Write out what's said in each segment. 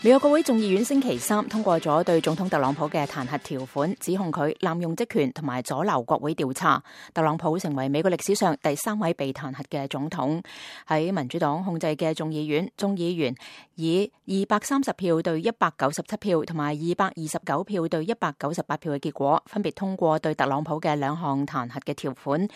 美國國會眾議院星期三通過咗對總統特朗普嘅彈劾條款，指控佢濫用職權同埋阻撓國會調查。特朗普成為美國歷史上第3位被彈劾嘅總統。喺民主黨控制嘅眾議院，眾議員以230票對197票同埋229票對198票嘅結果，分別通過對特朗普嘅2項彈劾嘅條款，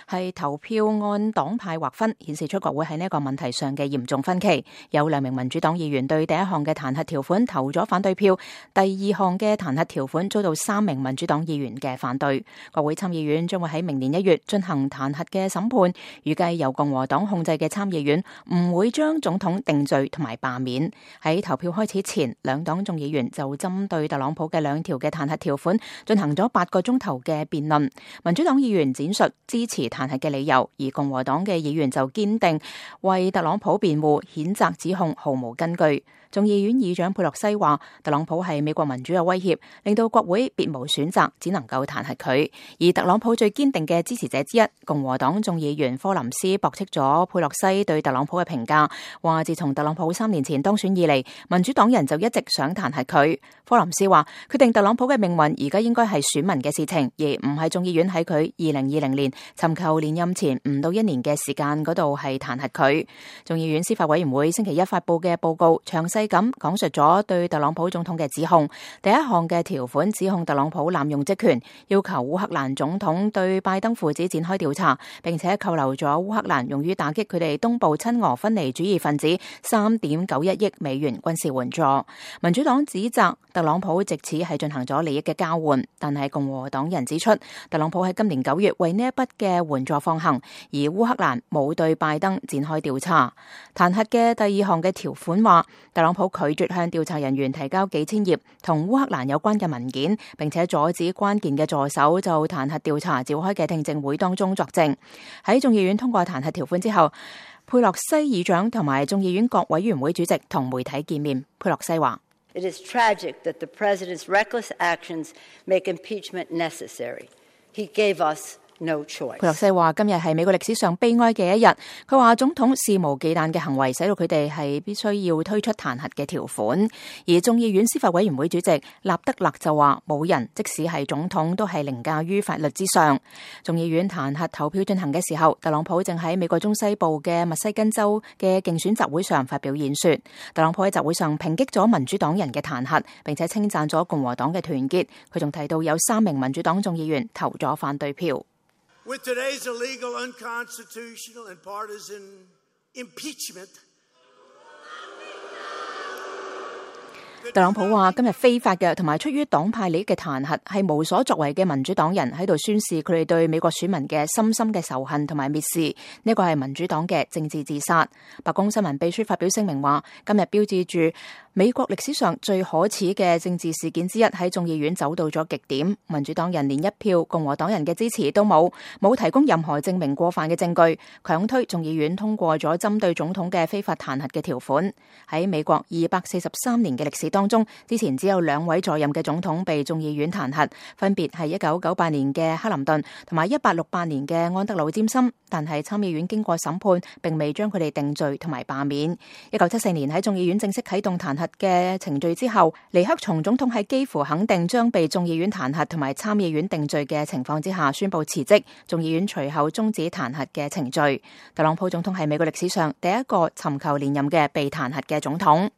係投票按黨派劃分，顯示出國會喺呢一個問題上嘅嚴重分歧。有2名民主黨議員對第1項嘅彈劾條款投咗反對票，第2項嘅彈劾條款遭到3名民主黨議員嘅反對。國會參議院將會喺明年1月進行彈劾嘅審判，預計由共和黨控制嘅參議院唔會將總統定罪同埋罷免。喺投票開始前，2黨眾議員就針對特朗普嘅2條嘅彈劾條款進行咗8個鐘頭嘅辯論。民主黨議員展述支持彈劾嘅理由，而共和黨嘅議員就堅定為特朗普辯護，譴責指控毫無根據。眾議院議長佩洛西話，特朗普係美國民主嘅威脅，令到國會別無選擇，只能夠彈劾佢。而特朗普最堅定嘅支持者之一，共和黨眾議員科林斯駁斥咗佩洛西對特朗普嘅評價，話自從特朗普3年前當選以嚟，民主黨人就一直想彈劾佢。科林斯話，決定特朗普嘅命運而家應該係選民嘅事情，而唔係眾議院喺佢2020年尋求連任前唔到1年嘅時間嗰度係彈劾佢。眾議院司法委員會星期一發佈嘅報告詳細咁講述咗對特朗普總統嘅指控。第1項嘅條款指控特朗普濫用職權，要求烏克蘭總統對拜登父子展開調查，並且扣留咗烏克蘭用於打擊佢哋東部親俄分離主義分子3.91億美元軍事援助。民主黨指責特朗普藉此係進行咗利益嘅交換，但係共和黨人指出，特朗普喺今年9月為呢一筆嘅援助放行，而烏克蘭冇對拜登展開調查。彈劾嘅第2項嘅條款話，特朗普拒絕向調查人員提交幾千頁同烏克蘭有關嘅文件，並且阻止關鍵嘅助手就彈劾調查召開嘅聽證會當中作證。喺眾議院通過彈劾條款之後，佩洛西議長同埋眾議院各委員會主席同媒體見面。佩洛西話：It is tragic that the president's reckless actions make impeachment necessary. He gave us no choice. 佩洛西話：今日係美國歷史上悲哀嘅一日。佢話總統肆無忌憚嘅行為，使到佢哋係必須要推出彈劾嘅條款。而眾議院司法委員會主席納德勒就話：冇人，即使係總統，都係凌駕於法律之上。眾議院彈劾投票進行嘅時候，特朗普正喺美國中西部嘅密西根州嘅競選集會上發表演說。特朗普喺集會上抨擊咗民主黨人嘅彈劾，並且稱讚咗共和黨嘅團結。佢仲提到有3名民主黨眾議員投咗反對票。With today's illegal, unconstitutional, and partisan impeachment, 特朗普話：今日非法嘅同埋出於黨派利益嘅彈劾係無所作為嘅民主黨人喺度宣示佢哋對美國選民嘅深深嘅仇恨同埋蔑視，呢個係民主黨嘅政治自殺。白宮新聞秘書發表聲明話：今日標誌住美國歷史上最可恥嘅政治事件之一喺眾議院走到咗極點，民主黨人連1票共和黨人嘅支持都冇提供任何證明過犯嘅證據，強推眾議院通過咗針對總統嘅非法彈劾嘅條款。喺美國243年嘅歷史當中，之前只有2位在任嘅總統被眾議院彈劾，分別係1998年嘅克林頓同埋1868年嘅安德魯詹森，但係參議院經過審判，並未將佢哋定罪同埋罷免。1974年喺眾議院正式啟動彈劾嘅程序之後，尼克松總統喺幾乎肯定將被眾議院彈劾同埋參議院定罪嘅情況之下宣布辭職，眾議院隨後終止彈劾嘅程序。特朗普總統係美國歷史上第1個尋求連任嘅被彈劾嘅總統。